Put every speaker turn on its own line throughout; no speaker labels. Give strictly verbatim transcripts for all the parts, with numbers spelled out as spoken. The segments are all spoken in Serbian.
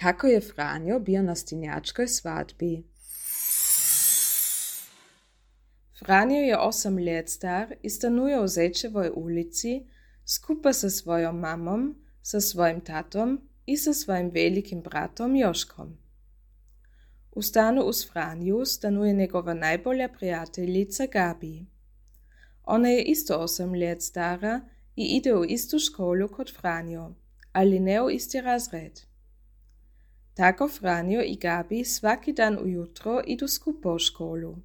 Kako je Franjo bio na stinjačkoj svadbi. Franjo je osam let star i stanuje u Zečevoj ulici skupa sa svojom mamom, sa svojim tatom i sa svojim velikim bratom Joškom. U stanu uz Franju stanuje njegova najbolja prijateljica Gabi. Ona je isto osam let stara i ide u istu školu kod Franjo, ali ne u isti razred. Tako Franjo i Gabi svaki dan ujutro idu skupa u školu,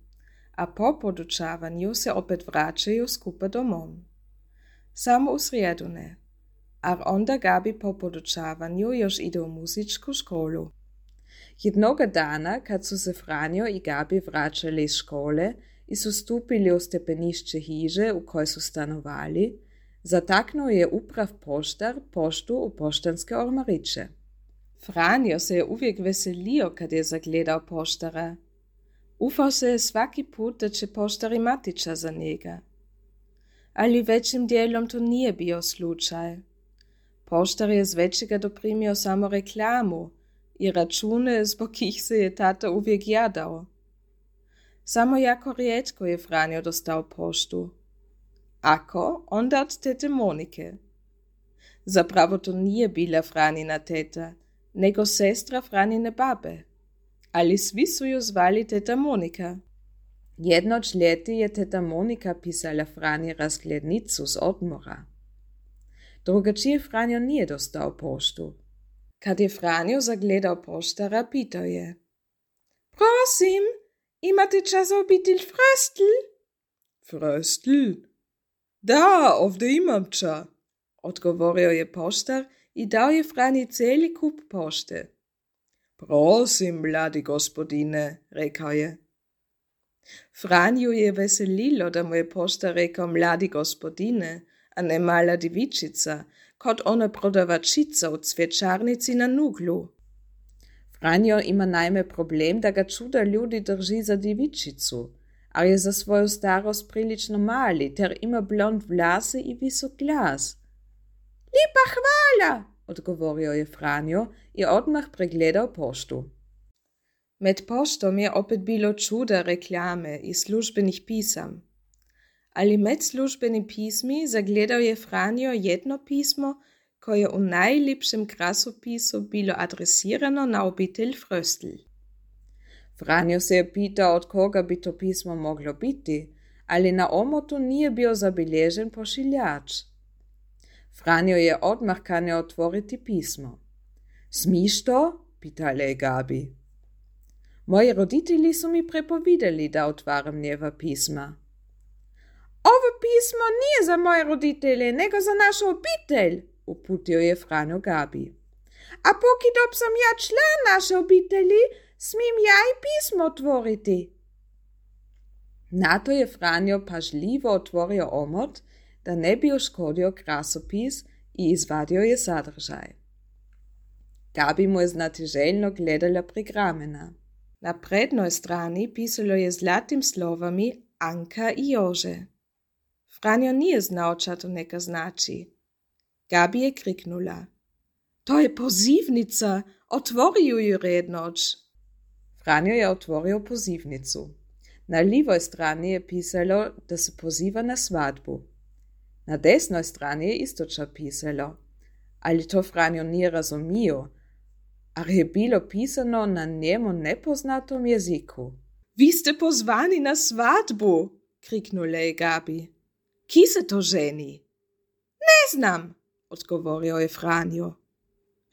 a po podučavanju se opet vraćaju skupa domom. Samo u srijedu ne, a onda Gabi po podučavanju još ide u muzičku školu. Jednoga dana, kad su se Franjo i Gabi vraćali iz škole i su stupili u stepenišće hiže u kojoj su stanovali, zataknuo je uprav poštar poštu u poštanske ormariće. Franjo se je uvijek veselio kad je zagledao poštara. Ufao se je svaki put da će poštar imati čas za njega. Ali većim dijelom to nije bio slučaj. Poštar je z većega doprimio samo reklamu i račune zbog kih se je tata uvijek jadao. Samo jako rijetko je Franjo dostao poštu. Ako, onda od tete Monike. Zapravo to nije bila Franjina teta, nego sestra Franjine babe. Ali svi su ju zvali teta Monika. Jednoć ljeti je teta Monika pisala Franji razglednicu z odmora. Drugačije Franjo nije dostao poštu. Kad je Franjo zagledao poštara, pitao je: Prosim, imate čas za obitelj Fröstl?
Fröstl? Da, ovdje imam ča,
odgovorio je poštar i dao je Franji cijeli kup pošte.
Prosim, mladi gospodine, rekao je.
Franju je veselilo da mu je poštar rekao mladi gospodine, a ne mala divičica, kot ona prodavačica u cvjećarnici na Nuglu. Franjo ima naime problem da ga čuda ljudi drži za divičicu, a je za svoju starost prilično mali, ter ima blond vlase i visok glas. Lipa hvala, odgovorio je Franjo i odmah pregledao poštu. Med poštom je opet bilo čuda reklame i službenih pisam. Ali med službenim pismi zagledao je Franjo jedno pismo koje je u najljepšem krasopisu bilo adresirano na obitelj Fröstl. Franjo se je pitao od koga bi to pismo moglo biti, ali na omotu nije bio zabilježen pošiljač. Franjo je odmah kanio otvoriti pismo. Smiš to? Pitala je Gabi. Moji roditelji su mi prepovidali da otvaram njeva pisma. Ovo pismo nije za moje roditelje, nego za našu obitelj, uputio je Franjo Gabi. A pokidop sam ja član naše obitelji, smim ja i pismo otvoriti. Na to je Franjo pažljivo otvorio omot, da ne bi uškodio krasopis i izvadio je sadržaj. Gabi mu je znatiželjno gledala prigramena. Na prednoj strani pisalo je zlatim slovami Anka i Jože. Franjo nije znao ča to neka znači. Gabi je kriknula. To je pozivnica, otvori ju rednoć. Franjo je otvorio pozivnicu. Na livoj strani je pisalo da se poziva na svadbu. Na desnoj strani je isto ča pisalo, ali to Franjo nije razumio, a je bilo pisano na njemu nepoznatom jeziku. Vi ste pozvani na svadbu, kriknula je Gabi. Ki se to ženi? Ne znam, odgovorio je Franjo.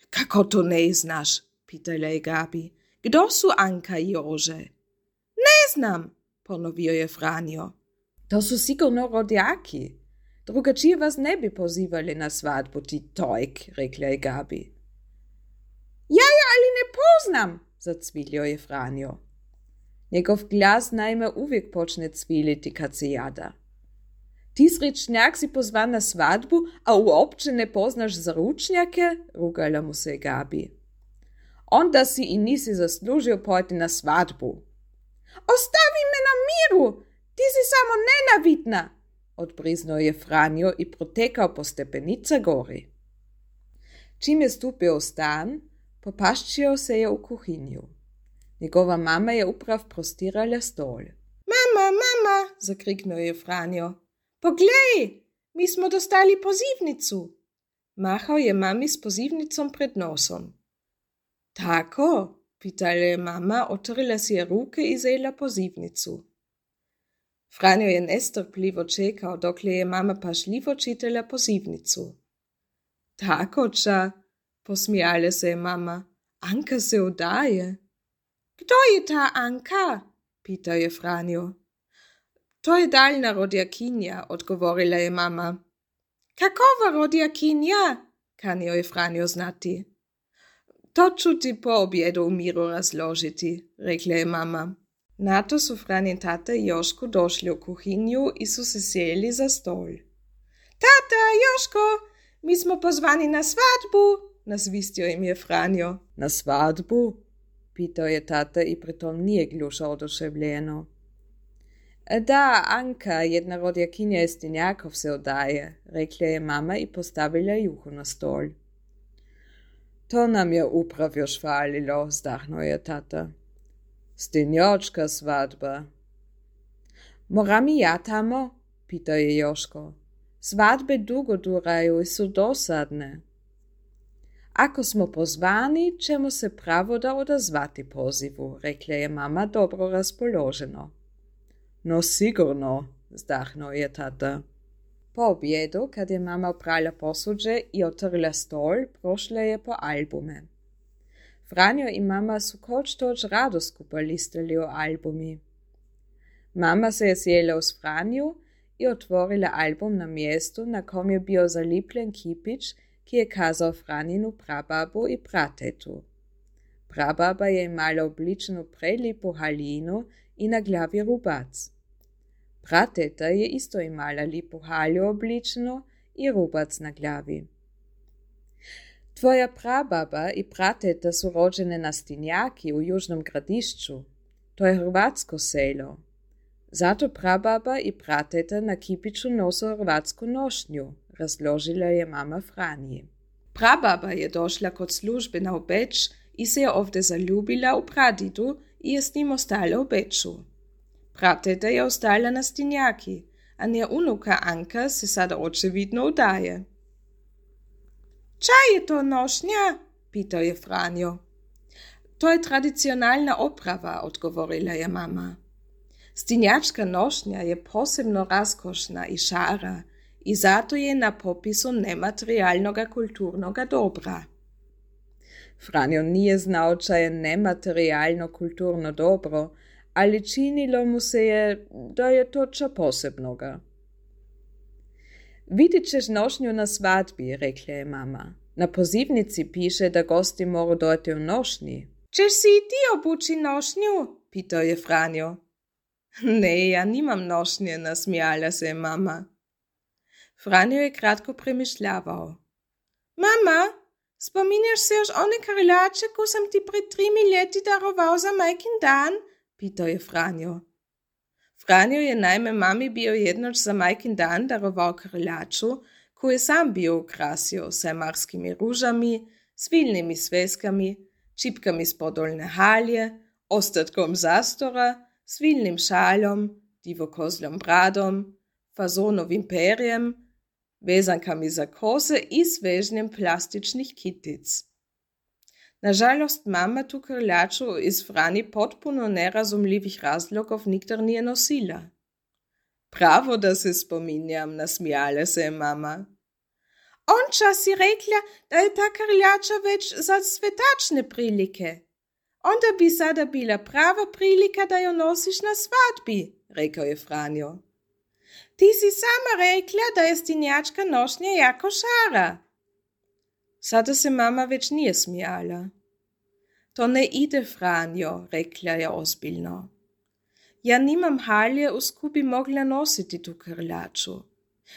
Kako to ne znaš? Pitala je Gabi. Kdo su Anka i Jože? Ne znam, ponovio je Franjo. To su sigurno rodjaki. Drugačije vas ne bi pozivali na svadbu, ti tojk, rekla je Gabi. Ja, ja, ali ne poznam, zacvilio je Franjo. Njegov glas naime uvijek počne cviliti kad se jada. Ti srečnjak si pozvan na svadbu, a uopće ne poznaš zaručnjake, rugala mu se Gabi. Onda si i nisi zaslužio pojeti na svadbu. Ostavi me na miru, ti si samo nenavidna, odbriznuo je Franjo i protekao po stepenica gori. Čim je stupio u stan, Popaščio se je u kuhinju. Njegova mama je uprav prostirala stol.
Mama, mama, zakriknuo je Franjo. Poglej, mi smo dostali pozivnicu.
Mahao je mami s pozivnicom pred nosom.
Tako?
Pitala je mama, otrla si je ruke i zela pozivnicu. Franjo je nestrpljivo čekao, dokle je mama pažljivo čitala pozivnicu.
Tako, ča, posmijala se je mama. Anka se udaje. Kdo je ta Anka? Pitao je Franjo.
To je daljna rodjakinja, odgovorila je mama.
Kakova rodjakinja?
Kanio je Franjo znati. To ću ti po objedu u miru razložiti, rekla je mama. Nato su Franjin tata i Joško došli u kuhinju i su se sjeli za stol.
Tata, Joško, mi smo pozvani na svadbu,
nasvistio im je Franjo.
Na svadbu?
Pitao je tata i pritom nije gljušao oduševljeno. Da, Anka, jedna rodjakinja Estinjakov se odaje, rekla je mama i postavila juhu na stol.
To nam je uprav još falilo, zdahnuo je tata. Stinjočka svadba.
Moram i ja tamo? Pitao je Joško. Svadbe dugo duraju i su dosadne. Ako smo pozvani, ćemo se pravo da odazvati pozivu, rekla je mama dobro raspoloženo.
No sigurno, zdahnuo je tata.
Po objedu, kad je mama oprala posuđe i otrla stol, prošla je po albume. Franjo i mama su koč toč rado skupa listali o albumi. Mama se je sjela uz Franju i otvorila album na mjestu, na kom je bio zalipljen kipić, ki je kazao Franjinu prababu i pratetu. Prababa je imala obličenu prelipu haljinu i na glavi rubac. Prateta je isto imala lipu halju obličenu i rubac na glavi. Tvoja prababa i prateta su rođene na Stinjaki u Južnom Gradišću. To je hrvatsko selo. Zato prababa i prateta na kipiću nosu hrvatsku nošnju, razložila je mama Franji. Prababa je došla kod službe na Beč i se je ovdje zaljubila u pradidu i je s njim ostala u Beču. Prateta je ostala na Stinjaki, a nje unuka Anka se sada očevidno udaje.
Ča je to nošnja?
Pitao je Franjo. To je tradicionalna oprava, odgovorila je mama. Stinjačka nošnja je posebno raskošna i šara i zato je na popisu nematerijalnoga kulturnoga dobra. Franjo nije znao ča je nematerijalno kulturno dobro, ali činilo mu se je da je to ča posebnoga. Vidit ćeš nošnju na svadbi, rekla je mama. Na pozivnici piše da gosti moru dojeti u nošnji.
Češ si i ti obuči nošnju?
Pitao je Franjo. Ne, ja nimam nošnje, nasmijala se je mama. Franjo je kratko premišljavao.
Mama, spominješ se još one karilače ko sam ti pred trimi ljeti darovao za majkin dan?
Pitao je Franjo. Franjo je naime mami bio jednoć za majkin dan darovao karilaču, koju je sam bio ukrasio sajmarskim ružami, svilnim sveskami, čipkami s podolne halje, ostatkom zastora, svilnim šaljom, divokozljom bradom, fazonovim perjem, vezankami za kose i svežnjem plastičnih kitic. Nažalost, mama tu karilaču iz Frani potpuno nerazumljivih razlogov nikdar nije nosila. Pravo da se spominjam, nasmijala se je mama.
Onča si rekla, da je ta karilača već za svetačne prilike. Onda bi sada bila prava prilika da jo nosiš na svadbi,
rekao je Franjo.
Ti si sama rekla da je stinjačka nošnja jako šara.
Sada se mama već nije smijala. To ne ide, Franjo, rekla je ozbiljno. Ja nimam halje, uz koju bi mogla nositi tu karilaču.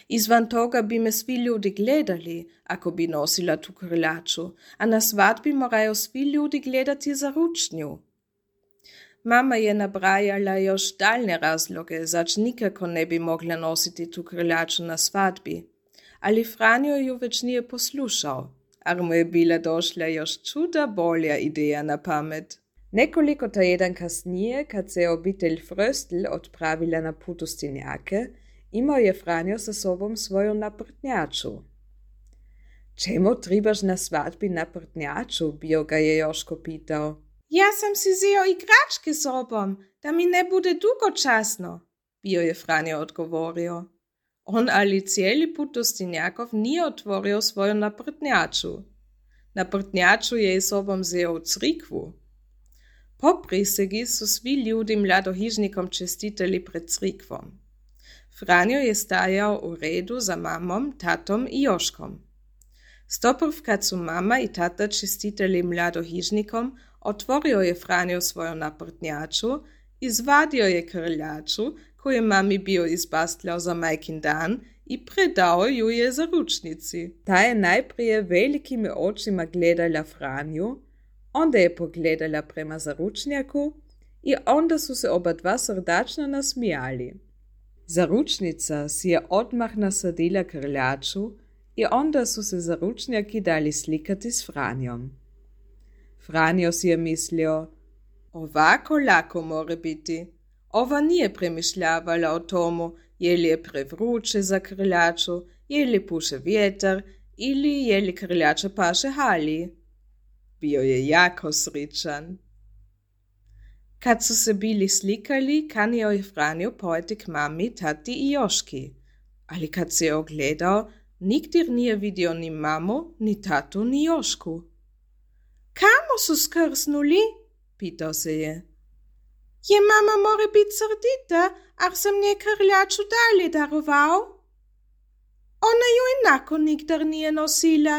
Izvan toga bi me svi ljudi gledali, ako bi nosila tu karilaču, a na svadbi moraju svi ljudi gledati za ručnju. Mama je nabrajala još daljne razloge, zač nikako ne bi mogla nositi tu karilaču na svadbi, ali Franjo ju već nije poslušao, ar mu je bila došla još čuda bolja ideja na pamet. Nekoliko tjedan kasnije, kad se je obitelj Fröstl odpravila na put u Stinjake, imao je Franjo sa sobom svoju naprtnjaču. Čemu tribaš na svadbi naprtnjaču, bio ga je Joško pitao.
Ja sam si zeo igračke sobom, da mi ne bude dugočasno, bio je Franjo odgovorio. On ali cijeli put do Stinjakov nije otvorio svoju naprtnjaču. Naprtnjaču je sobom zeo u crikvu. Po prisegi su svi ljudi mladohižnikom čestitali pred crikvom. Franjo je stajao u redu za mamom, tatom i Joškom. Stoprv kad su mama i tata čestitali mladohižnikom, otvorio je Franjo svoju naprtnjaču, izvadio je krljaču, koju je mami bio izbastljao za majkin dan, i predao ju je zaručnici. Ta je najprije velikim očima gledala Franju, onda je pogledala prema zaručnjaku i onda su se oba dva srdačno nasmijali. Zaručnica si je odmah nasadila krljaču i onda su se zaručnjaki dali slikati s Franjom. Franjo si je mislio, ovako lako more biti. Ova nije premišljavala o tomu, je li je prevruće za krljaču, je li puše vjetar ili je li krljača paše Hali. Bio je jako sričan. Kad su se bili slikali, kanio je Franjo pojeti k mami, tati i Joški. Ali kad se je ogledao, nigdje nije vidio ni mamu, ni tatu, ni Jošku. Kamo su skrsnuli? Pitao se je. Je mama more bit srdita, ar sam nje krljaču dalje daroval? Ona ju inako nigdar nije nosila.